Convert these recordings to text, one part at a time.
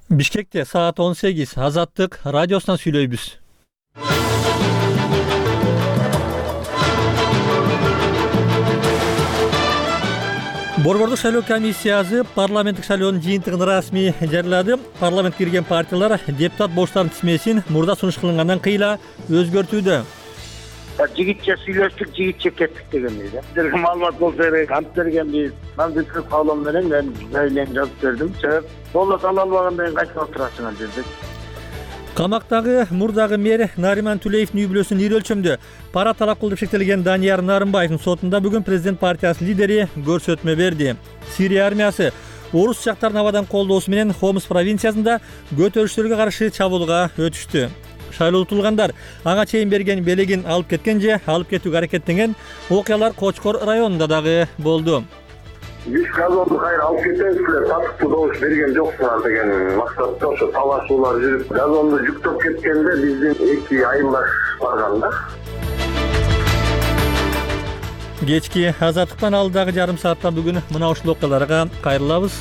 Бишкекте саат 18 Азаттык радиосунан сүйлөйбүз. Борбордук шайлоо комиссиясы парламенттик шайлоонун жыйынтыгын расмий жарыялады. Парламентке кирген партиялар депутат боштардын тизмесин мурда сунуш кылынгандан кыйла өзгөртүүдө. Жигитче сүйлөштүк, жигитче кеттик дегенбиз. Силерге маалымат болсо керек, ант бергенбиз. Мамдутков каалоо менен мен жайлан жазып бердим. Себеп болот ала албагандан кийин кайтып отурасыңар дедик. Камактагы мурдагы мэр Нариман Тулеевдин үй бүлөсүн ир өлчөмдө пара талап кылып шектелген Данияр Нарымбаевдин сотунда бүгүн президент партиясынын лидери көрсөтмө берди. Сирия армиясы орус жактардын абадан колдоосу менен Хомс провинциясында көтөрүштөргө каршы чабуулга өтүштү. Шайлоо утулгандар ага чейин берген белегин алып кеткен же алып кетүүгө аракеттенген окуялар Кочкор районунда дагы болду. Биз газонду кайра алып кетебизлер, татыктуу добуш берген жоксуңар деген максатта ошо талашуулар жүрүп, газонду жүктөп кеткенде биздин 2 айылдаш барган да. Кечки Азаттыктан алдагы жарым саатта бүгүн мына ушул окуяларга кайрылабыз.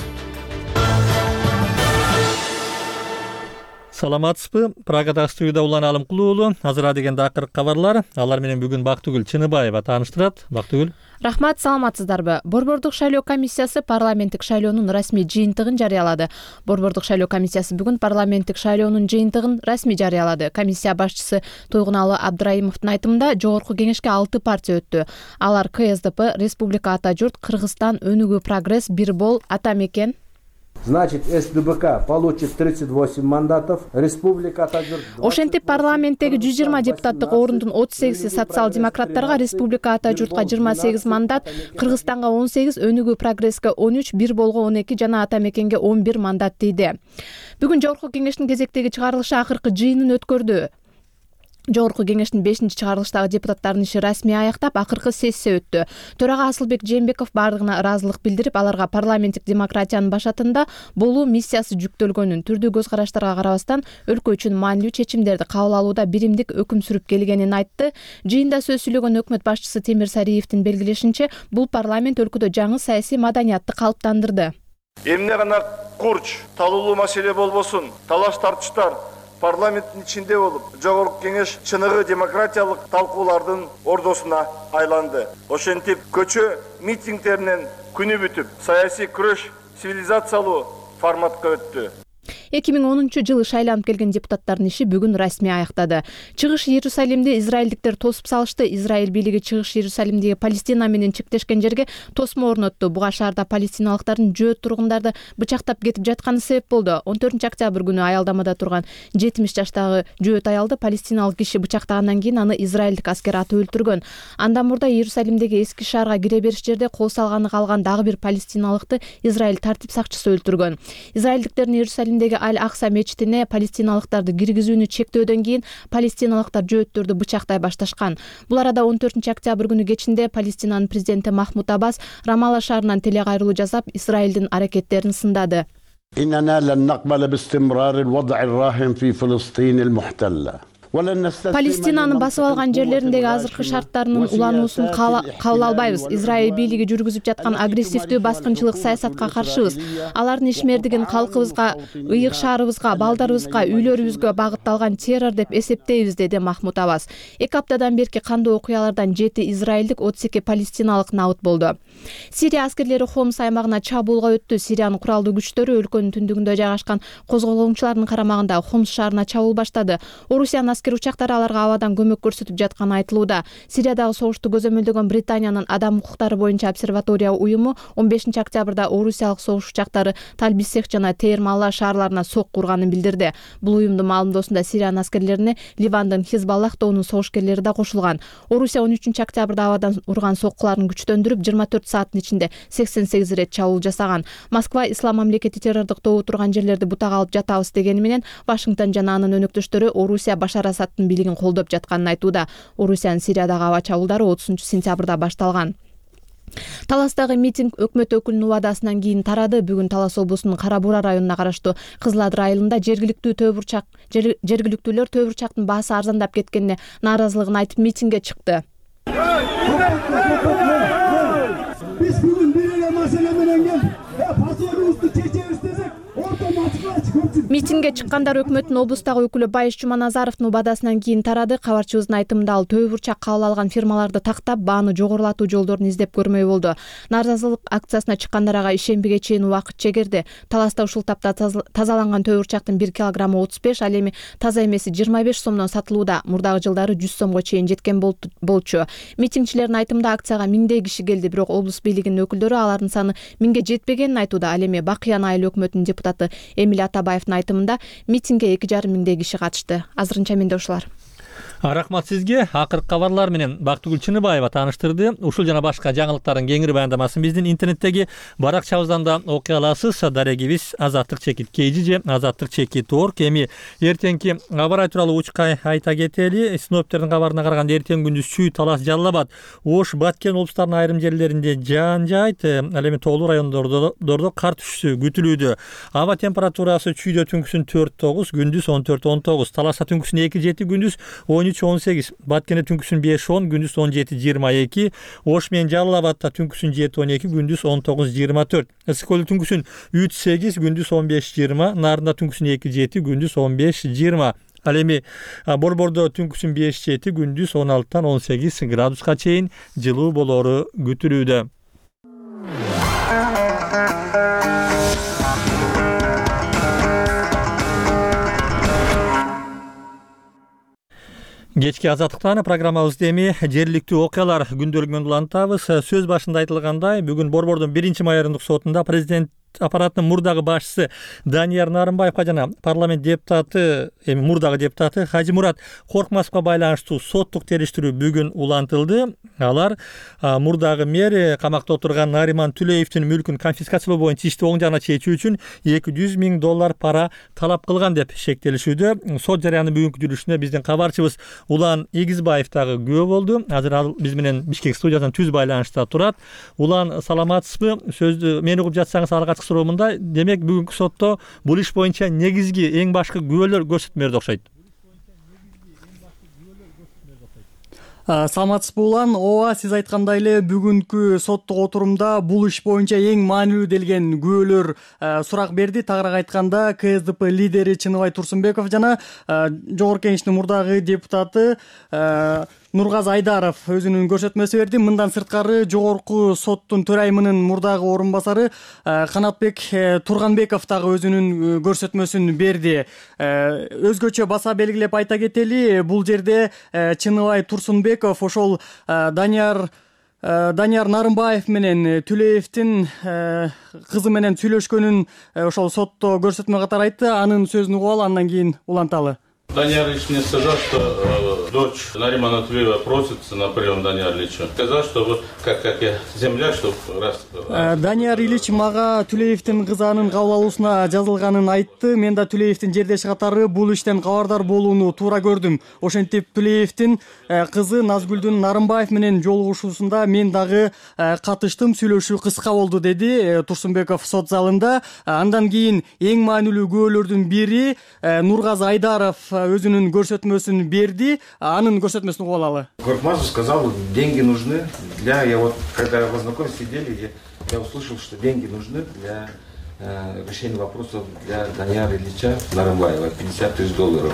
Саламатсызбы? Прагадагы студияда Улан Алымкулуу уулу. Азыр дегенде акыркы кабарлар. Алар менен бүгүн Бактыгүл Чыныбаева тааныштырат. Бактыгүл. Рахмат, саламатсыздарбы? Борбордук шайлоо комиссиясы парламенттик шайлоонун расмий жыйынтыгын жарыялады. Борбордук шайлоо комиссиясы бүгүн парламенттик шайлоонун жыйынтыгын расмий жарыялады. Комиссия башчысы Тойгуналы Абдрайымовдун айтымында жогорку кеңешке 6 партия өттү. Алар КСДП, Республика Ата Журт, Кыргызстан, Өнүгүү Прогресс, Бирбол, Ата Мекен. Значит, СДБК получит 38 мандатов, Республика Ата Журт... Ошентип парламенттеги 120 депутаттык орунтун 38 социал-демократтарга, Республика Ата Журтка 28 мандат, Кыргызстанга 18, Өнүгүү Прогресске 13, Бирболго 12 жана Ата Мекенге 11 мандат тийди. Бүгүн жогорку кеңештин кезектеги чыгарылышы акыркы жыйынын өткөрдү. Жогорку кеңештин 5-чыгарылыштагы депутаттардын иши расмий аяктап, акыркы сессия өттү. Төрага Асылбек Жээнбеков бардыгына ыраазылык билдирип, аларга парламенттик демократиянын башатында болуу миссиясы жүктөлгөнүн, түрдүү көз караштарга карабастан өлкө үчүн маанилүү чечимдерди кабыл алууда биримдик өкүм сүрүп келгенин айтты. Жыйында сөз сүйлөгөн өкмөт башчысы Темир Сариевдин белгилешинче, бул парламент өлкөдө жаңы саясий маданиятты калыптандырды. Эмне гана курч, талуулуу маселе болбосун, талаш тартыштар парламенттин ичинде болуп, жогорку кеңеш чыныгы демократиялык талкуулардын ордосуна айланды. Ошентип, көчө митингдеринен күнү бүтүп, саясий күрөш цивилизациялуу форматка өттү. 2010-жылы шайланып келген депутаттардын иши бүгүн расмий аяктады. Чыгыш Иерусалимди израилдиктер тосуп салышты. Израиль бийлиги Чыгыш Иерусалимдеги Палестина менен чектешкен жерге тосмо орнотту. Буга шаарда палестиналыктардын жөөт тургундарды бычактап кетип жатканы себеп болду. 14 күнү аялдамада турган 70 жаштагы жөөт аялды палестиналык киши бычактагандан кийин аны израилдик аскер атып өлтүргөн. Андан мурда Иерусалимдеги эски шаарга кире бериш жерде кол салганы калган дагы бир палестиналыкты Израиль тартип сакчысы өлтүргөн. Израилдиктердин Иерусалимдеги Аль-Акса мечитине палестиналыктарды киргизүүнү чектөөдөн кийин палестиналыктар жөөттөрдү бычактай башташкан. Бул арада 14 күнү кечинде Палестинанын президенти Махмуд Аббас Рамалла шаарынан телекайрылуу жасап, Израилдин аракеттерин сындады. إننا لن نقبل باستمرار الوضع الراهن في فلسطين المحتلة. Палестинанын басып алган жерлериндеги азыркы шарттарынын улануусун кабыл албайбыз. Израиль бийлиги жүргүзүп жаткан агрессивдүү баскынчылык саясатка каршыбыз. Алардын ишмердигин калкыбызга, ыйык шаарыбызга, балдарыбызга, үйлөрүбүзгө багытталган террор деп эсептейбиз, деди Махмуд Аббас. 2 аптадан берки кандуу окуялардан 7 израилдик, 32 палестиналык набыт болду. Сирия аскерлери Хомс аймагына чабуулга өттү. Сириянын куралдуу күчтөрү өлкөнүн түндүгүндө жайгашкан козголоңчулардын карамагында Хомс шаарына чабуул баштады. Орусиянын аскер учактары аларга абадан көмөк көрсөтүп жатканы айтылууда. Сириядагы согушту көзөмөлдөгөн Британиянын адам укуктары боюнча обсерватория уюму 15 октябрда орусиялык согуш учактары Талбисех жана Тейр-Малла шаарларына сок курганын билдирди. Бул уюмдун маалымдоосунда Сириянын аскерлерине Ливандын Хизбаллах тобунун согушкерлери да кошулган. Орусия 13 октябрда абадан урган соккуларын күчтөндүрүп 24 сааттын ичинде 88 рет чабуул жасаган. Москва ислам мамлекети террордук тобу турган жерлерди бутак алып жатабыз дегени менен Вашингтон жана анын өнөктөштөрү Орусия Башар Асадтын бийлигин колдоп жатканын айтууда. Орусиянын Сириядагы аба чабуулдары 30-сентябрда башталган. Таластагы митинг өкмөт өкүлүнүн убадасынан кийин тарады. Бүгүн Талас облусунун Кара Бура районуна караштуу Кызыл Адыр айылында жергиликтүүлөр төө бурчактын баасы арзандап кеткенине нааразылыгын айтып митингге чыкты. Биз бүгүн бир эле маселе менен келип, паспортубузду чечебиз десек, Митингге чыккандар өкмөттүн облустагы өкүлү Байыш Жуманазаровдун убадасынан кийин тарады. Кабарчыбыздын айтымында ал төбө бурчак кабыл алган фирмаларды тактап, бааны жогорулатуу жолдорун издеп көрмөй болду. Нааразылык акциясына чыккандар ага ишембиге чейин убакыт чегерди. Таласта ушул тапта тазаланган төбө бурчактын 1 килограммы 35, ал эми таза эмеси 25 сомдон сатылууда. Мурдагы жылдары 100 сомго чейин жеткен болчу. Митингчилердин айтымында акцияга миңдей киши келди, бирок облус бийлигинин өкүлдөрү алардын саны миңге жетпегенин айтууда. Ал эми Бакыян айыл өкмөтүнүн депутаты Эмиль Атабаевдин айтымында митингге 2,5 миңдей киши катышты. Азырынча менде ушулар. Рахмат сизге. Акыркы кабарлар менен Бактыгүл Чыныбаева тааныштырды. Ушул жана башка жаңылыктардын кеңири баяндамасын биздин интернеттеги баракчабыздан да окуй аласыз. Дарегибиз #azatlyk же #azatlyk.org. Эми эртеңки абар тууралуу учка айта кетели. Синоптиктердин кабарына караганда эртең күндүз Чүй, Талас, Жалал Абад, Ош, Баткен облустарынын айрым жерлеринде жаан жаайт. Ал эми тоолуу райондордо кар түшүшү күтүлүүдө. Аба температурасы Чүйдө түнкүсүн 4-9, күндүз 14-19, Таласта түнкүсүн 2-7, күндүз 13-18, Баткенде түнкүсүн 5-10, күндүз 17-22, Ош менен Жалал Абадта түнкүсүн 7-12, күндүз 19-24, Ысык-Көлдө түнкүсүн 3-8, күндүз 15-20, Нарында түнкүсүн 2-7, күндүз 15-20. Ал эми Борбордо түнкүсүн 5-7, күндүз 16-18 градуска чейин жылуу болору күтүлүүдө. Кечки азаттыктан программабызды эми жергиликтүү окуялар күндөлүгүнөн улантабыз. Сөз башында айтылгандай, бүгүн Борбордун 1-майордук сотунда президент аппаратынын мурдагы башчысы Данияр Нарымбаевга жана парламент депутаты, мурдагы депутаты Хажы Мурат Коркмасовго байланыштуу соттук териштирүү бүгүн улантылды. Алар мурдагы мэр камакта отурган Нариман Түлеевдин мүлкүн конфискациялоо боюнча ишти оң жагына чечүү үчүн $200 000 пара талап кылган деп шектелишүүдө. Сот жарыянын бүгүнкү жүрүшүнө биздин кабарчыбыз Улан Игизбаев дагы күбө болду. Азыр ал биз менен Бишкек студиясынан түз байланышта турат. Улан, саламатсызбы? Сөздү мен угуп жатсаңыз алгачкы суроомунда, демек бүгүнкү сотто бул иш боюнча негизги эң башкы күбөлөр көрсөтмө берди окшойт. Саламатсызбы Улан? Ооба, сиз айткандай эле бүгүнкү соттук отурумда бул иш боюнча эң маанилүү делген күбөлөр сурак берди. Тагыраак айтканда, КСДП лидери Чыныбай Турсунбеков жана Жогорку Кеңештин мурдагы депутаты Нургазы Айдаров өзүнүн көрсөтмөсү берди. Мындан сырткары Жогорку соттун төрайымынын мурдагы орун басары Канатбек Турганбеков дагы өзүнүн көрсөтмөсүн берди. Өзгөчө баса белгилеп айта кетели, бул жерде Чыныбай Турсунбеков ошол Данияр Нарымбаев менен Түлеевдин кызы менен сүйлөшкөнүн ошол сотто көрсөтмө катары айтты. Анын сөзүн угуп алып, андан кийин уланталы. Данияр Ильич мне сказал, что дочь Наримана Тулеева просится на прием Данияр Ильича. Сказал, что вы, как я земляк, что раз... Данияр Ильич мага Түлеевдин кызы анын кабыл алуусуна жазылганын айтты. Мен да Түлеевдин жердеши катары бул иштен кабардар болууну туура көрдүм. Ошентип Түлеевдин кызы Назгүлдүн Нарымбаев менен жолугушуусунда мен дагы катыштым, сүйлөшүү кыска болду, деди Турсунбеков сот залында. Андан кийин эң маанилүү күбөлөрдүн бири Нургазы Айдаров өзүнүн көрсөтмөсүн берди. Анын көрсөтмөсүн угуп алалы. Коркмазов сказал, деньги нужны для... Я вот, когда познакомились, сидели, я услышал, что деньги нужны для решения вопросов для Данияра Ильича Нарымбаева, $50 000.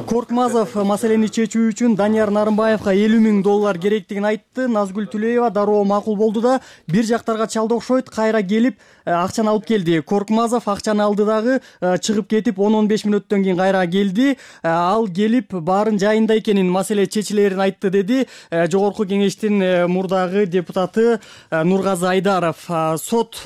Коркмазов маселени чечүү үчүн Данияр Нарымбаевга $50 000 керектигин айтты. Назгүл Түлеева дароо макул болду да бир жактарга чалды окшойт, кайра келип акчаны алып келди. Коркмазов акчаны алды дагы чыгып кетип 10-15 мүнөттөн кийин кайра келди. Ал келип баарын жайында экенин, маселе чечилерин айтты, деди Жогорку Кеңештин мурдагы депутаты Нургазы Айдаров. Сот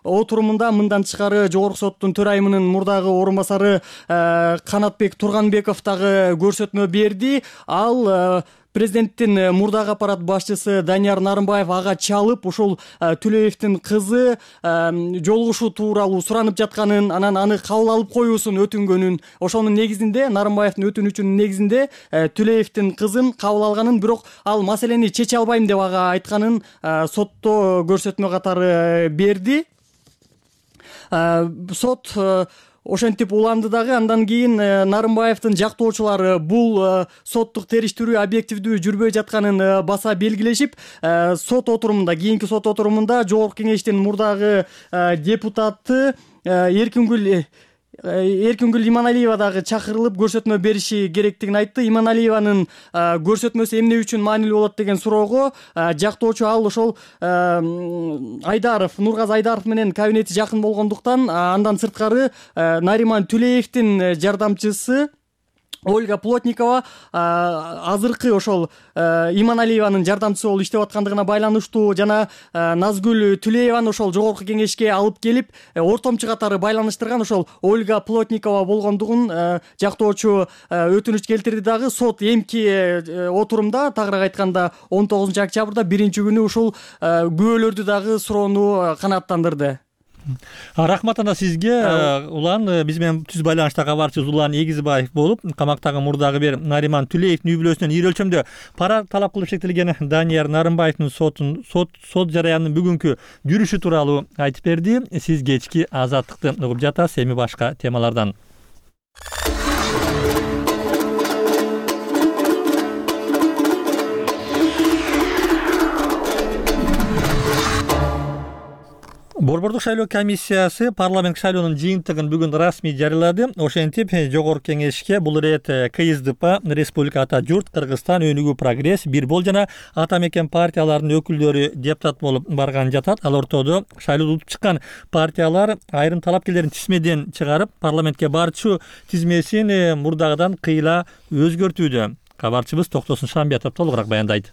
отурумунда мындан тышкары Жогорку соттун төрайымынын мурдагы орун басары Канатбек Турганбеков дагы көрсөтмө берди. Ал президенттин мурдагы аппарат башчысы Данияр Нарымбаев ага чалып, ошол Түлеевдин кызы жолугушуу тууралуу суранып жатканын, анан аны кабыл алып коюусун өтүнгөнүн, ошонун негизинде, Нарымбаевдин өтүнүчүнүн негизинде Түлеевдин кызын кабыл алганын, бирок ал маселени чече албайм деп ага айтканын сотто көрсөтмө катары берди. Сот ошентип уланды дагы. Андан кийин Нарымбаевдин жактоочулары бул соттук териштирүү объективдүү жүрбөй жатканын баса белгилешип, сот отурумунда, кийинки сот отурумунда Жогорку Кеңештин мурдагы депутаты Эркингүл Иманалиева дагы чакырылып көрсөтмө бериши керектигин айтты. Иманалиеванын көрсөтмөсү эмне үчүн маанилүү болот деген суроого жактоочу ал ошол Айдаров, Нургазы Айдаров менен кабинети жакын болгондуктан, андан сырткары Нариман Түлеевдин жардамчысы Ольга Плотникова азыркы ошол Иманалиеванын жардамчысы болуп иштеп аткандыгына байланыштуу жана Назгүл Түлееваны ошол жогорку кеңешке алып келип ортомчу катары байланыштырган ошол Ольга Плотникова болгондугун жактоочу өтүнүч келтирди. Дагы сот эмки отурумда, тагыраак айтканда 19 октябрда биринчи күнү ушул күбөлөрдү дагы суроону канааттандырды. Рахмат ана сизге. Улан биз менен түз байланышта кабарчыбыз Улан Эгизбаев болуп, камактагы мурдагы бир Нариман Түлеевдин үй бүлөсүнөн ири өлчөмдө пара талап кылып шектелген Данияр Нарымбаевдин сот жараянынын бүгүнкү жүрүшү тууралуу айтып берди. Сиз кечки Азаттыкты угуп жатасыз. Эми башка темалардан. Борбордук шайлоо комиссиясы парламент шайлоонун жыйынтыгын бүгүн расмий жарыялады. Ошентип, жогорку кеңешке бул ирет КСДП, Республика Ата Журт, Кыргызстан, Өнүгүү Прогресс, Бир Бол жана Ата Мекен партияларынын өкүлдөрү депутат болуп барган жатат. Ал ортодо шайлоодо утуп чыккан партиялар айрым талапкерлерин тизмеден чыгарып, парламентке барчу тизмесин мурдагыдан кыйла өзгөртүүдө. Кабарчыбыз Токтосун Шамбиятов толугураак баяндайт.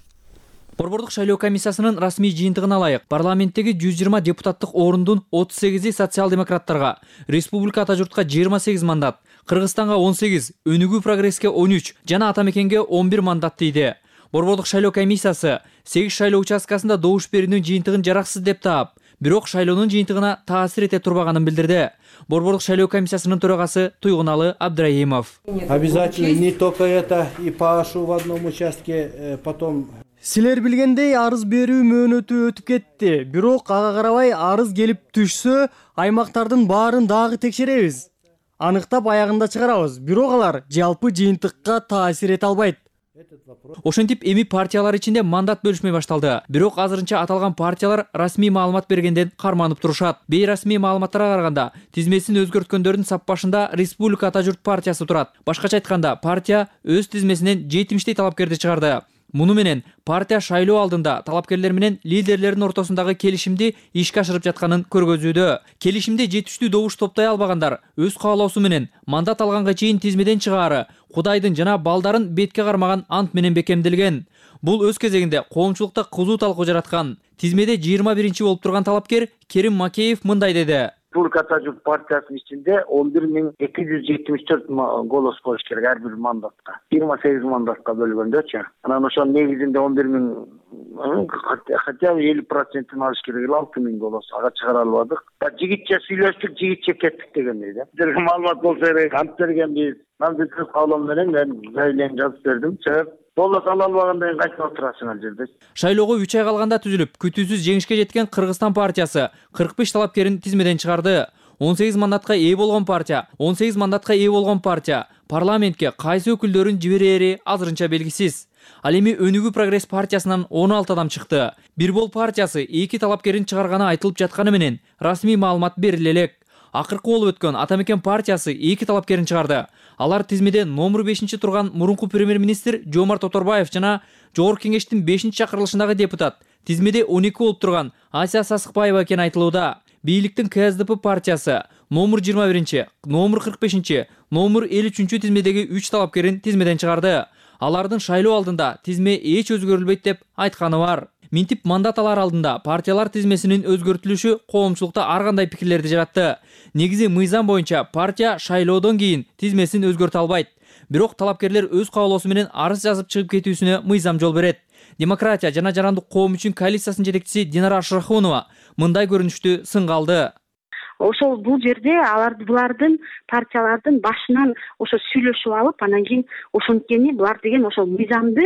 Борбордук шайлоо комиссиясынын расмий жыйынтыгына ылайык парламенттеги 120 депутаттык орундун 38-и социал-демократтарга, Республика Ата Журтка 28 мандат, Кыргызстанга 18, Өнүгүү Прогресске 13 жана Ата Мекенге 11 мандат тийди. Борбордук шайлоо комиссиясы 8 шайлоо участкасында добуш берүүнүн жыйынтыгын жараксыз деп таап, бирок шайлоонун жыйынтыгына таасир эте турбаганын билдирди. Борбордук шайлоо комиссиясынын төрагасы Туйгуналы Абдрайымов. Обязательно не только это, и пашу в одном участке, потом... Силер билгендей арыз берүү мөөнөтү өтүп кетти. Бирок ага карабай арыз келип түшсө, аймактардын баарын дагы текшеребиз. Аныктап аягында чыгарабыз. Бирок алар жалпы жыйынтыкка таасир эте албайт. Ошентип эми партиялар ичинде мандат бөлүшмөй башталды. Бирок азырынча аталган партиялар расмий маалымат бергенден карманып турушат. Бейрасмий маалыматтарга караганда, тизмесин өзгөрткөндөрдүн сап башында Республика Ата Журт партиясы турат. Башкача айтканда, партия өз тизмесинен 70 талапкерди чыгарды. Муну менен партия шайлоо алдында талапкерлер менен лидерлердин ортосундагы келишимди ишке ашырып жатканын көргөзүүдө. Келишимде жетиштүү добуш топтой албагандар өз каалоосу менен мандат алганга чейин тизмеден чыгаары Кудайдын жана балдарын бетке кармаган ант менен бекемделген. Бул өз кезегинде коомчулукта кызуу талкуу жараткан. Тизмеде 21-чи болуп турган талапкер Керим Макеев мындай деди. Республика Ата Журт партиясынын ичинде 11274 голос болуш керек ар бир мандатка. 28 мандатка бөлгөндөчү. Анан ошонун негизинде 11000 хотя бы 50% алыш керек 6000 голос. Ага чыгара албадык. Жигитче сүйлөштүк, жигитче кеттик дегендей да. Бизге маалымат болсо керек, ант бергенбиз. Мен бүткүл каалоом менен мен заявление жазып бердим. Болот ала албагандан кийин кайтып отурасың ал жерде. Шайлоого 3 ай калганда түзүлүп, күтүүсүз жеңишке жеткен Кыргызстан партиясы 45 талапкерин тизмеден чыгарды. 18 мандатка ээ болгон партия парламентке кайсы өкүлдөрүн жиберери азырынча белгисиз. Ал эми Өнүгүү Прогресс партиясынан 16 адам чыкты. Бир Бол партиясы 2 талапкерин чыгарганы айтылып жатканы менен расмий маалымат бериле элек. Акыркы болуп өткөн Ата Мекен партиясы 2 талапкерин чыгарды. Алар тизмеде номер 5-чи турган мурунку премьер-министр Жомарт Оторбаев жана Жогорку кеңештин 5-чи чакырылышындагы депутат, тизмеде 12 болуп турган Асия Сасыкбаева экени айтылууда. Бийликтин КСДП партиясы номер 21-чи, номер 45-чи, номер 53-чү тизмедеги 3 талапкерин тизмеден чыгарды. Алардын шайлоо алдында тизме эч өзгөрүлбөйт деп айтканы бар. Минтип мандат алар алдында партиялар тизмесинин өзгөртүлүшү коомчулукта ар кандай пикирлерди жаратты. Негизи мыйзам боюнча партия шайлоодон кийин тизмесин өзгөртө албайт. Бирок талапкерлер өз каалоосу менен арыз жазып чыгып кетүүсүнө мыйзам жол берет. Демократия жана жарандык коом үчүн коалициясынын жетекчиси Динара Ашрахунова мындай көрүнүштү сынга алды. Ошол бул жерде булардын партиялардын башынан ошо сүйлөшүп алып, анан кийин ошонткени булар деген ошол мыйзамды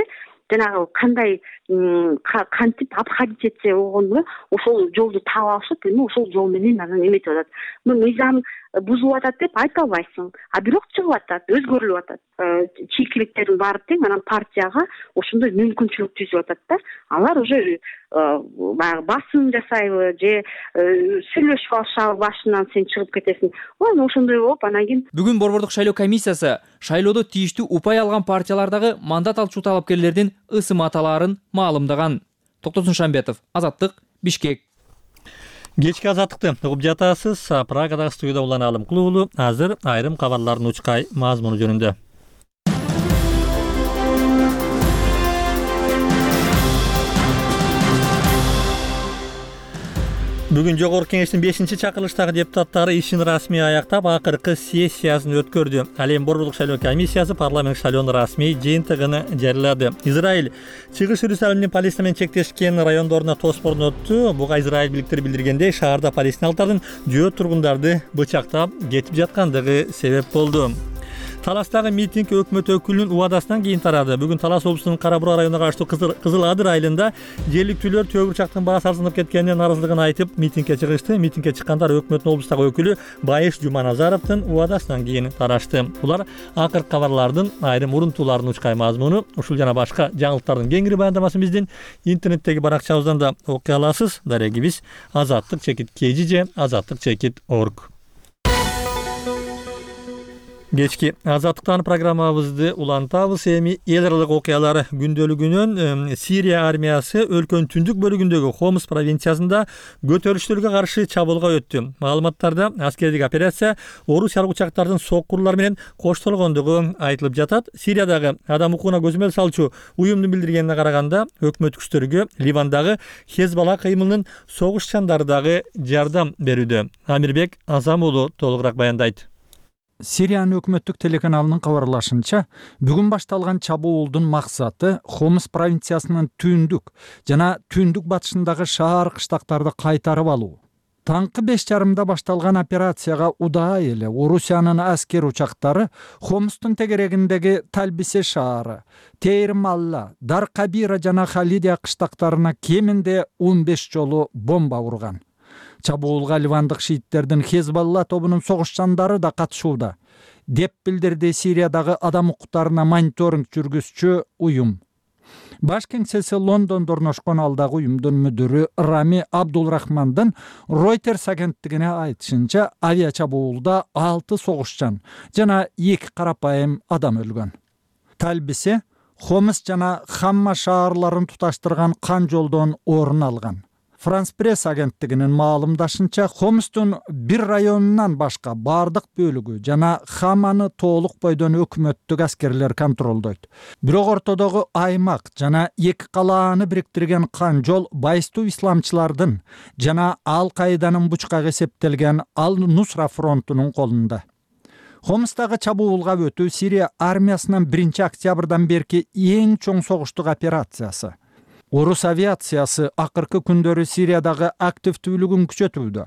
жанагы кандай кантип обходить этсе болгону ошол жолду таап алышып, эми ошол жол менен анан эметип атат. Мыйзам бузулуп атат деп айта албайсың, а бирок чыгып атат, өзгөрүлүп атат. Чийкиликтердин баары тең, анан партияга ошондой мүмкүнчүлүк түзүп атат да. Алар уже баягы басым жасайбы же сүйлөшүп алышабы, башынан сен чыгып кетесиң. Ошондой болуп анан кийин Бүгүн Борбордук шайлоо комиссиясы шайлоодо тийиштүү упай алган партиялардагы мандат алчу талапкерлердин ысым аталарын маалымдаган. Токтосун Шамбетов, Азаттык, Бишкек. Кечки азаттыкты угуп жатасыз. Прагадагы студияда Улан Алымкул уулу азыр айрым кабарлардын учкай мазмуну жөнүндө. Бүгүн Жогорку Кеңештин 5-чакырылыштагы депутаттары ишин расмий аяктап, акыркы сессиясын өткөрдү. Ал эми Борбордук шайлоо комиссиясы парламент шайлоонун расмий жыйынтыгын жарыялады. Израиль Чыгыш Иерусалимдин Палестина менен чектешкен райондоруна тосп орнотту. Буга Израиль биликтери билдиргендей, шаарда палестиналыктардын жөө тургундарды бычактап кетип жаткандыгы себеп болду. Таластагы митинг өкмөт өкүлүнүн убадасынан кийин тарады. Бүгүн Талас облусунун Кара-Бура районуна караштуу Кызыл Адыр айылында жергиликтүүлөр төө бурчактын баасы арзанып кеткенине нааразылыгын айтып митингге чыгышты. Митингге чыккандар өкмөттүн облустагы өкүлү Байыш Жуманазаровдун убадасынан кийин тарашты. Булар акыркы кабарлардын айрым урунтууларынын учкай мазмуну. Ушул жана башка жаңылыктардын кеңири баяндамасын биздин интернеттеги баракчабыздан да окуй аласыз. Дарегибиз azatlyk-kg azatlyk-org. Кечки азаттыктан программабызды улантабыз. Эми эл аралык окуялар күндөлүгүнөн Сирия армиясы өлкөнүн түндүк бөлүгүндөгү Хомс провинциясында көтөрүлүштөргө каршы чабуулга өттү. Маалыматтарда аскердик операция орусиялык учактардын соккурлар менен коштолгондугу айтылып жатат. Сириядагы адам укугуна көзөмөл салчу уюмдун билдиргенине караганда, өкмөт күчтөргө Ливандагы Хезбалла кыймылынын согушчандары дагы жардам берүүдө. Амирбек Азам уулу толугураак баяндайт. Сириянын өкмөттүк телеканалынын кабарлашынча, бүгүн башталган чабуулдун максаты Хомс провинциясынын түндүк жана түндүк батышындагы шаар кыштактарды кайтарып алуу. Таңкы 5:30 башталган операцияга удаай эле Орусиянын аскер учактары Хомстун тегерегиндеги Талбисе шаары, Тейр-Малла, Дар-Кабира жана Халидия кыштактарына кеминде 15 жолу бомба урган. Чабуулга ливандык шииттердин Хезбалла тобунун согушчандары да катышууда, деп билдирди Сириядагы адам укуктарына мониторинг жүргүзчү уюм. Баш кеңсеси Лондондо орношкон алдагы уюмдун мүдүрү Рами Абдулрахмандын Reuters агенттигине айтышынча, авиа чабуулда 6 согушчан жана 2 карапайым адам өлгөн. Талбисе Хомс жана Хамма шаарларын туташтырган кан жолдон орун алган. Франс пресс агенттигинин маалымдашынча, Хомстун бир районунан башка бардык бөлүгү жана Хаманы толук бойдон өкмөттүк аскерлер контролдойт. Бирок ортодогу аймак жана 2 калааны бириктирген кан жол байыстуу исламчылардын жана Ал-Каиданын бучкага эсептелген Ал-Нусра фронтунун колунда. Хомстагы чабуулга өтүү Сирия армиясынын 1-октябрдан берки эң чоң согуштук операциясы. Орус авиациясы акыркы күндөрү Сириядагы активдүүлүгүн күчөтүүдө.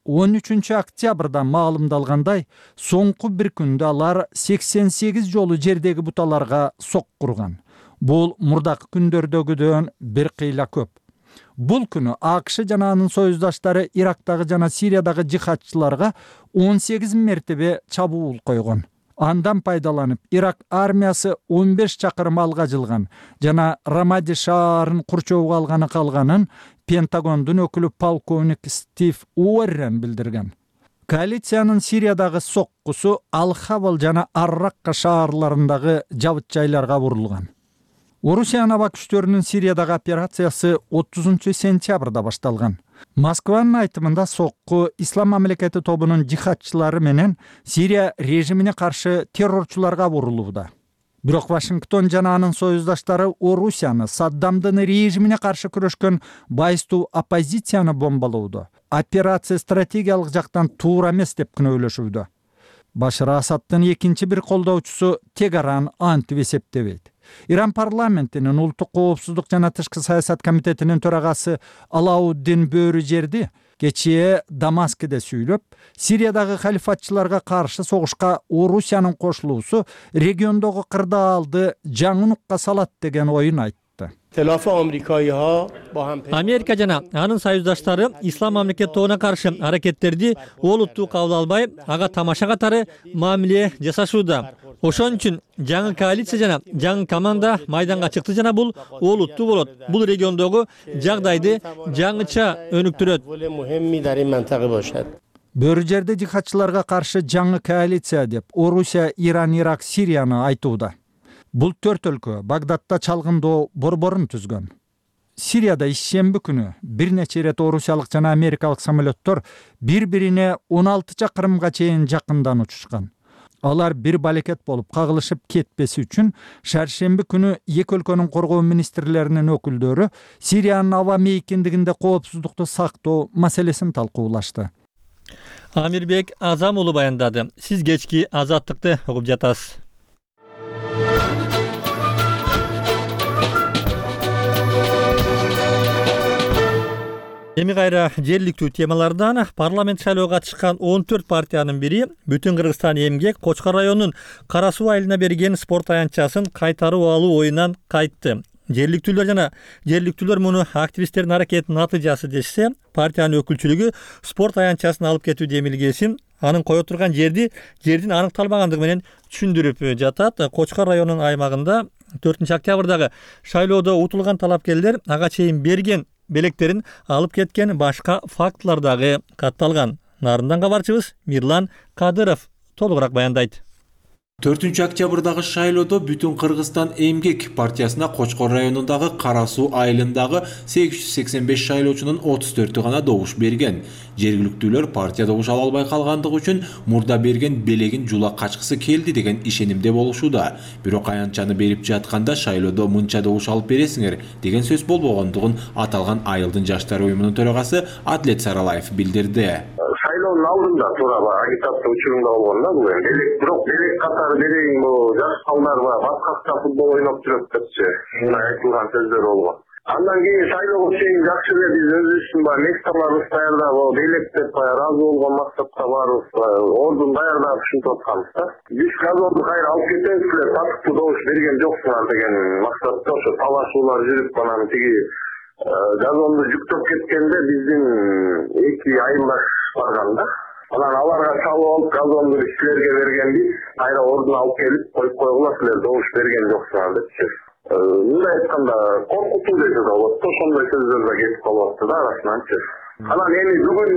13 октябрда маалымдалгандай, соңку бир күндө алар 88 жолу жердеги буталарга соккурган. Бул мурдакы күндөрдөгүдөн бир кыйла көп. Бул күнү АКШ жана анын союздаштары Ирактагы жана Сириядагы жихадчыларга 18 мертебе чабуул койгон. Андан пайдаланып, Ирак армиясы 15 чакырым алга жылган жана Рамади шаарын курчоого алганы калганын Пентагондун өкүлү полковник Стив Уоррен билдирген. Коалициянын Сириядагы соккусу Ал-Хавал жана Ар-Ракка шаарларындагы жабыт жайларга бурулган. Орусиянын аба күчтөрүнүн Сириядагы операциясы 30 сентябрда башталган. Москванын айтымында сокку Ислам мамлекети тобунун жихадчылары менен Сирия режимине каршы террорчуларга бурулууда. Бирок Вашингтон жана анын союздаштары Орусияны Саддамдын режимине каршы күрөшкөн байыстуу оппозицияны бомбалоодо. Операция стратегиялык жактан туура эмес деп күнөөлөшүүдө. Башар Асаддын экинчи бир колдоочусу Тегаран антип эсептебейт. Иран парламентинин улуттук коопсуздук жана тышкы саясат комитетинин төрагасы Алауддин Бөрүжерди кечээ Дамаскиде сүйлөп, Сириядагы халифатчыларга каршы согушка Орусиянын кошулуусу региондогу кырдаалды жаңы нукка салат деген оюн айтты. айтты. Америка жана анын союздаштары ислам мамлекет тобуна каршы аракеттерди олуттуу кабыл албай, ага тамаша катары мамиле жасашууда. Ошон үчүн жаңы коалиция жана жаңы команда майданга чыкты жана бул олуттуу болот. Бул региондогу жагдайды жаңыча өнүктүрөт. Бөрү жерде жихадчыларга каршы жаңы коалиция деп Орусия, Иран, Ирак, Сирияны айтууда. Бул 4 өлкө Багдадда чалгындоо борборун түзгөн. Сирияда ишемби күнү бир нече ирет орусиялык жана америкалык самолеттор бири-бирине 16 чакырымга чейин жакындан учушкан. Алар бир балекет болуп кагылышып кетпеси үчүн шаршемби күнү эки өлкөнүн коргоо министрлеринин өкүлдөрү Сириянын аба мейкиндигинде коопсуздукту сактоо маселесин талкуулашты. Амирбек Азам уулу баяндады. Сиз кечки Азаттыкты угуп жатасыз. Эми кайра жергиликтүү темалардан парламент шайлоого чыккан 14 партиянын бири Бүтүн Кыргызстан эмгек Кочкор районунун Кара Суу айылына берген спорт аянтчасын кайтарып алуу оюнан кайтты. Жергиликтүүлөр муну активисттердин аракетинин натыйжасы дешсе, партиянын өкүлчүлүгү спорт аянтчасын алып кетүү демилгесин анын кое турган жердин аныкталбагандыгы менен түшүндүрүп жатат. Кочкор районунун аймагында 4 октябрдагы шайлоодо утулган талапкерлер ага чейин берген белектерин алып кеткен башка фактылар дагы катталган. Нарындан кабарчыбыз Мирлан Кадыров толугураак баяндайт. 4 октябрдагы шайлоодо Бүтүн Кыргызстан эмгек партиясына Кочкор районундагы Кара Суу айылындагы 885 шайлоочунун 34-ü гана добуш берген. Жергиликтүүлөр партия добуш ала албай калгандыгы үчүн мурда берген белегин жула качкысы келди деген ишенимде болушууда. Бирок аянтчаны берип жатканда шайлоодо мынча добуш алып бересиңер деген сөз болбогондугун аталган айылдын жаштар уюмунун төрагасы Адлет Саралаев билдирди. Шайлоонун алдында туура агитация учурунда болгон да бул эми. Бирок белек катары берейин жаш балдар башкача футбол ойноп жүрөт депчи. Мындай айтылган сөздөр болгон. Андан кийин шайлоого чейин жакшы эле биз өзүбүздүн месталарыбыз даярдап, белек деп ыраазы болгон максатта барыбыз ордун даярдап ушинтип атканбыз да. Биз газонду кайра алып кетебиз эле, татыктуу добуш берген жоксуңар деген максатта ошо талашуулар жүрүп, анан тиги газонду жүктөп кеткенде биздин эки айылдаш барган да. Анан аларга чалып алып газонду силерге бергенбиз, кайра ордуна алып келип коюп койгула, силер добуш берген жоксуңар депчи. Мындай айтканда коркутуу десе да болот, ошондой сөздөр да кетип калып да арасынан. Анан эми бүгүн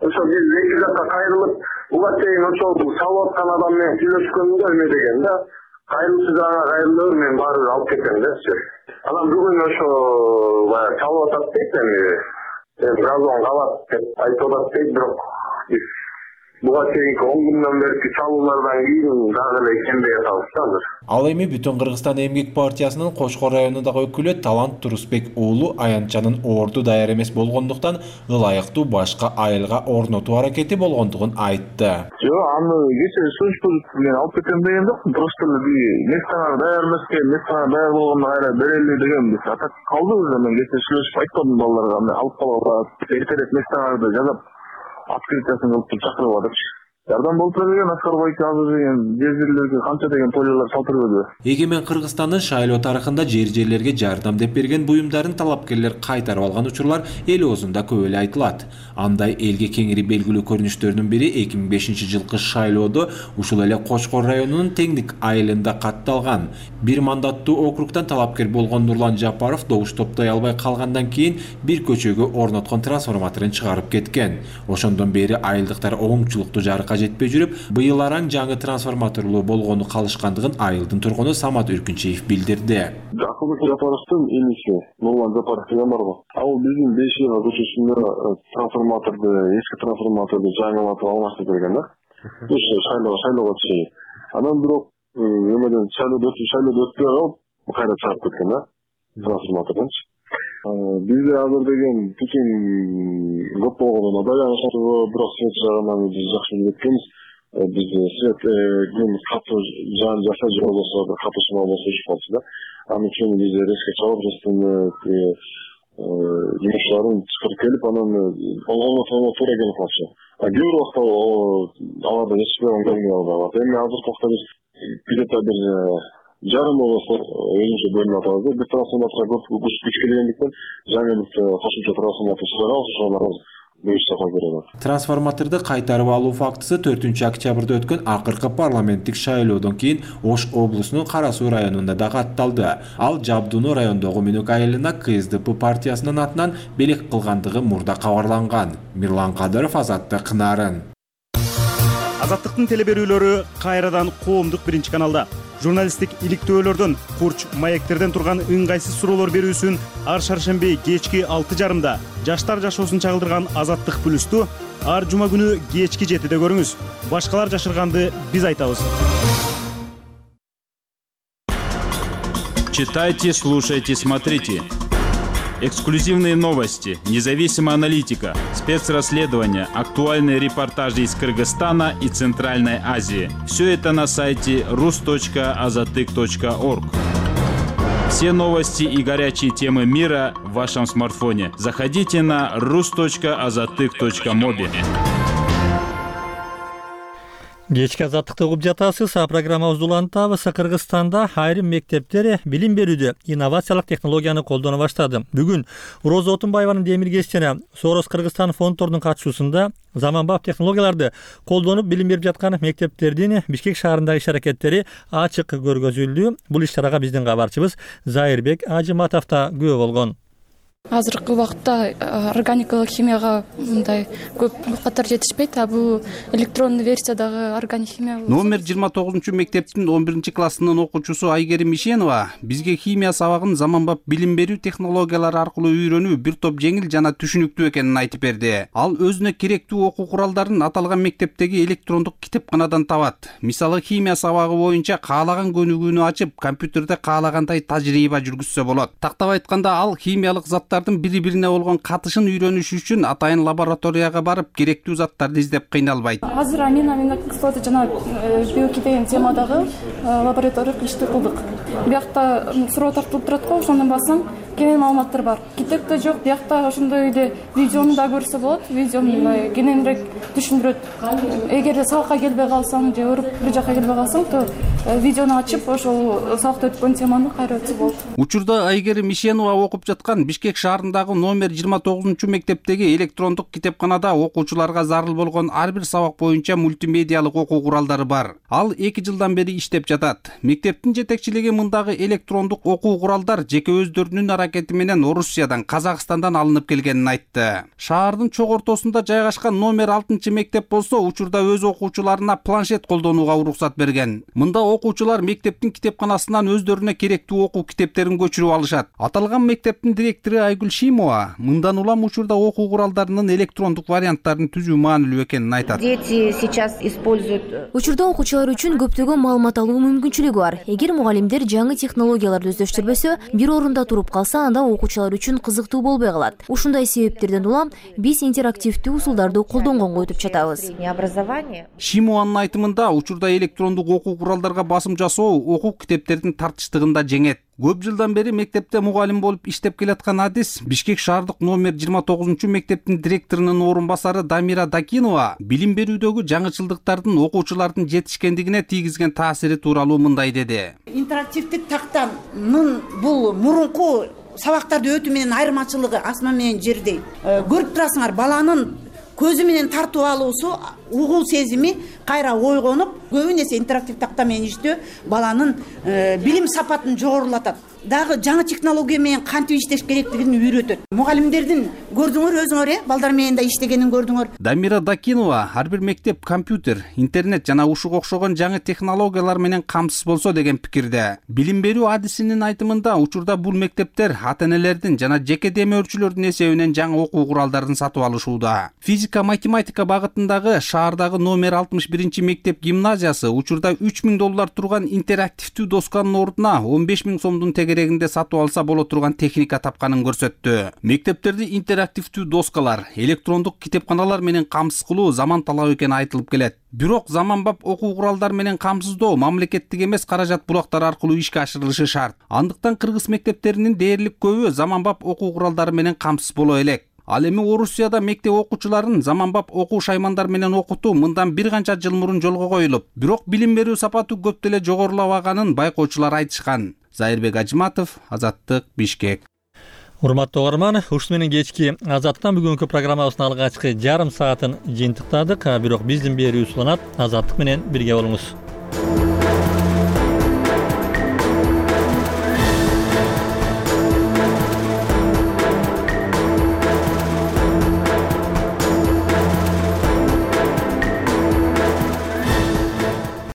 ошо биз эки жакка кайрылып, буга чейин ошол чалып аткан адам менен сүйлөшкөндө эме деген да, кайрылчу жагына кайрылып мен барып алып кетем депчи. Анан бүгүн ошо баягы чалып атат дейт, эми газон калат деп айтып атат дейт, бирок биз буга чейинки 10 күндөн берки чалуулардан кийин дагы эле ишенбей атабыз да азыр. Ал эми Бүтүн Кыргызстан эмгек партиясынын Кочкор районундагы өкүлү Талант Турусбек уулу аянтчанын орду даяр эмес болгондуктан ылайыктуу башка айылга орнотуу аракети болгондугун айтты. Жок, аны кече служба менен алып кетем деген жокмун. Просто эле местаңар даяр эмеске, местаңар даяр болгондо кайра берели деген биз атак калдыбыз. Мен кече сүйлөшүп айткандым балдарга, алып калгыла, эртерээк местаңарды жазап открытиясын кылып чакырып атышты. Жардам болуп берген Аскарбай азыр деген жерлерге канча деген тойлор салтырып өдү. Эгемен Кыргызстандын шайлоо тарыхында жерлерге жардам деп берген буюмдарын талапкерлер кайтарып алган учурлар эл оозунда көп эле айтылат. Андай элге кеңири белгилүү көрүнүштөрдүн бири 2005-жылкы шайлоодо ушул эле Кочкор районунун Теңдик айылында катталган. Бир мандаттуу округдан талапкер болгон Нурлан Жапаров добуш топтой албай калгандан кийин бир көчөгө орноткон трансформаторун чыгарып кеткен. Ошондон бери айылдыктар оңчулуктуу жарыкка жетпей жүрүп, быйыл араң жаңы трансформаторлуу болгону калышкандыгын айылдын тургуну Самат Үркүнчиев билдирди. Акылбек Жапаровдун иниси Нурлан Жапаров деген барбы? Ал биздин 5 жылга көчөсүндө трансформаторду, эски трансформаторду жаңылатып алмаштырып берген да. Ошо шайлоого чейин. Анан бирок эмеден шайлоо өтпөй калып, кайра чыгып кеткен да трансформатордон. Бизде азыр деген бүтүн көп болгондо даяр бирок свет жагынан биз жакшы билип кеткенбиз. Бизде свет катуу жан жаса же болбосо катуу сымал болсо иш болчу да. Анын үчүн биз резко чалып жумушчуларын чакырып келип, анан оңготууга туура келип калчу. Кээ бир убакта аларда эч бир оңдолбой калат. Эми азыркы убакта биз где-то бир жарым болосо өзүнчө бөлүнүп атабыз да. Бир трансформаторго көп күч келгендиктен жаңы кошумча трансформатор чыгарабыз, ошолор Трансформаторду кайтарып алуу фактысы 4-октябрда өткөн акыркы парламенттик шайлоодон кийин Ош облусунун Кара Суу районунда да катталды. Ал Жабдууну райондогу Менок айылына КСДП партиясынын атынан белек кылгандыгы мурда кабарланган. Мирлан Кадыров, Азаттык, Нарын. Азаттыктын телеберүүлөрү кайрадан коомдук биринчи каналда. Журналисттик иликтөөлөрдөн, курч маектерден турган ыңгайсыз суроолор берүүсүн ар шаршемби кечки 6:30 жаштар жашоосун чагылдырган Азаттык плюсту ар жума күнү кечки 7-де көрүңүз. Башкалар жашырганды биз айтабыз. Читайте, слушайте, смотрите. Эксклюзивные новости, независимая аналитика, спецрасследования, актуальные репортажи из Кыргызстана и Центральной Азии. Все это на сайте rus.azatyk.org. Все новости и горячие темы мира в вашем смартфоне. Заходите на rus.azatyk.mobi. Кечки Азаттыкты угуп жатасыз. Программабызды улантабыз. Кыргызстанда айрым мектептер билим берүүдө инновациялык технологияны колдоно баштады. Бүгүн Роза Отунбаеванын демиргеч жана Сорос Кыргызстан фонддорунун катышуусунда заманбап технологияларды колдонуп билим берип жаткан мектептердин Бишкек шаарындагы иш аракеттери ачык көргөзүлдү. Бул иш-чарага биздин кабарчыбыз Зайырбек Ажыматов да күбө болгон. Азыркы убакытта органикалык химияга мындай көп катар жетишпейт, а бул электрондуу версиядагы органик химия. Номер 29-мектептин 11-классынын окуучусу Айгерим Ишенова бизге химия сабагын заманбап билим берүү технологиялары аркылуу үйрөнүү бир топ жеңил жана түшүнүктүү экенин айтып берди. Ал өзүнө керектүү окуу куралдарын аталган мектептеги электрондук китепканадан табат. Мисалы, химия сабагы боюнча каалаган көнүгүүнү ачып, компьютерде каалагандай тажрыйба жүргүзсө болот. Тактап айтканда, ал химиялык заттардын бири-бирине болгон катышын үйрөнүш үчүн атайын лабораторияга барып, керектүү заттарды издеп кыйналбайт. Азыр аминокислота жана биохимия деген темадагы лабораториялык ишти кылдык. Биякта суроо тартылып турат го, ошондон бассаң кенен маалыматтар бар. Китепте жок, биякта ошондой эле видеону да көрсө болот. Видеону кененирээк түшүндүрөт. Эгер сабакка келбей калсаң же өөрүп бир жака келбей калсаң, то видеону ачып, ошол сабакта өткөн теманы кайра өтсө болот. Учурда Айгерим Ишенова окуп жаткан Бишкек шаарындагы номер 29-мектептеги электрондук китепканада окуучуларга зарыл болгон ар бир сабак боюнча мультимедиалык окуу куралдары бар. Ал 2 жылдан бери иштеп жатат. Мектептин жетекчилиги мындагы электрондук окуу куралдар жеке өздөрүнүн аракети менен Орусиядан, Казакстандан алынып келгенин айтты. Шаардын чок ортосунда жайгашкан номер 6-мектеп болсо, учурда өз окуучуларына планшет колдонууга уруксат берген. Мында окуучулар мектептин китепканасынан өздөрүнө керектүү окуу китептерин көчүрүп алышат. Аталган мектептин директору Айгүл Шимова мындан улам учурда окуу куралдарынын электрондук варианттарын түзүү маанилүү экенин айтат. Учурда окуучулар үчүн көптөгөн маалымат алуу мүмкүнчүлүгү бар. Эгер мугалимдер жаңы технологияларды өздөштүрбөсө, бир орунда туруп калса, анда окуучулар үчүн кызыктуу болбой калат. Ушундай себептерден улам биз интерактивдүү усулдарды колдонгонго өтүп жатабыз. Шимованын айтымында, учурда электрондук окуу куралдарга басым жасоо окуу китептердин тартыштыгында жеңет. Көп жылдан бери мектепте мугалим болуп иштеп келаткан адис Бишкек шаардык номер 29-мектептин директорунун орун басары Дамира Дакинова билим берүүдөгү жаңычылдыктардын окуучулардын жетишкендигине тийгизген таасири тууралуу мындай деди. Интерактивдик тактанын бул мурунку сабактарды өтүү менен айырмачылыгы асман менен жердей. Көрүп турасыңар, баланын көзү менен тартып алуусу, угуу сезими кайра ойгонуп, көбүнесе интерактив такта менен иштөө баланын билим сапатын жогорулатат. Дагы жаңы технология менен кантип иштеш керектигин үйрөтөт. Мугалимдердин көрдүңөр өзүңөр, балдар менен да иштегенин көрдүңөр. Дамира Дакинова ар бир мектеп компьютер, интернет жана ушуга окшогон жаңы технологиялар менен камсыз болсо деген пикирде. Билим берүү адисинин айтымында, учурда бул мектептер ата-энелердин жана жеке демөөрчүлөрдүн эсебинен жаңы окуу куралдарын сатып алышууда. Физика, математика багытындагы шаардагы номер 61-мектеп гимназиясы учурда $3000 турган интерактивдүү досканын ордуна 15 000 сомдун тегерегинде сатып алса боло турган техника тапканын көрсөттү. Мектептерди интерактивдүү доскалар, электрондук китепканалар менен камсыз кылуу заман талабы экени айтылып келет. Бирок заманбап окуу куралдар менен камсыздоо мамлекеттик эмес каражат булактар аркылуу ишке ашырылышы шарт. Андыктан кыргыз мектептеринин дээрлик көбү заманбап окуу куралдары менен камсыз боло элек. Ал эми Орусияда мектеп окуучуларын заманбап окуу шаймандар менен окутуу мындан бир канча жыл мурун жолго коюлуп, бирок билим берүү сапаты көп деле жогорулабаганын байкоочулар айтышкан. Зайырбек Ажиматов, Азаттык, Бишкек. Урматтуу угарман, ушуну менен кечки Азаттыктан бүгүнкү программабыздын алгачкы жарым саатын жыйынтыктадык. Бирок биздин берүү уланат. Азаттык менен бирге болуңуз.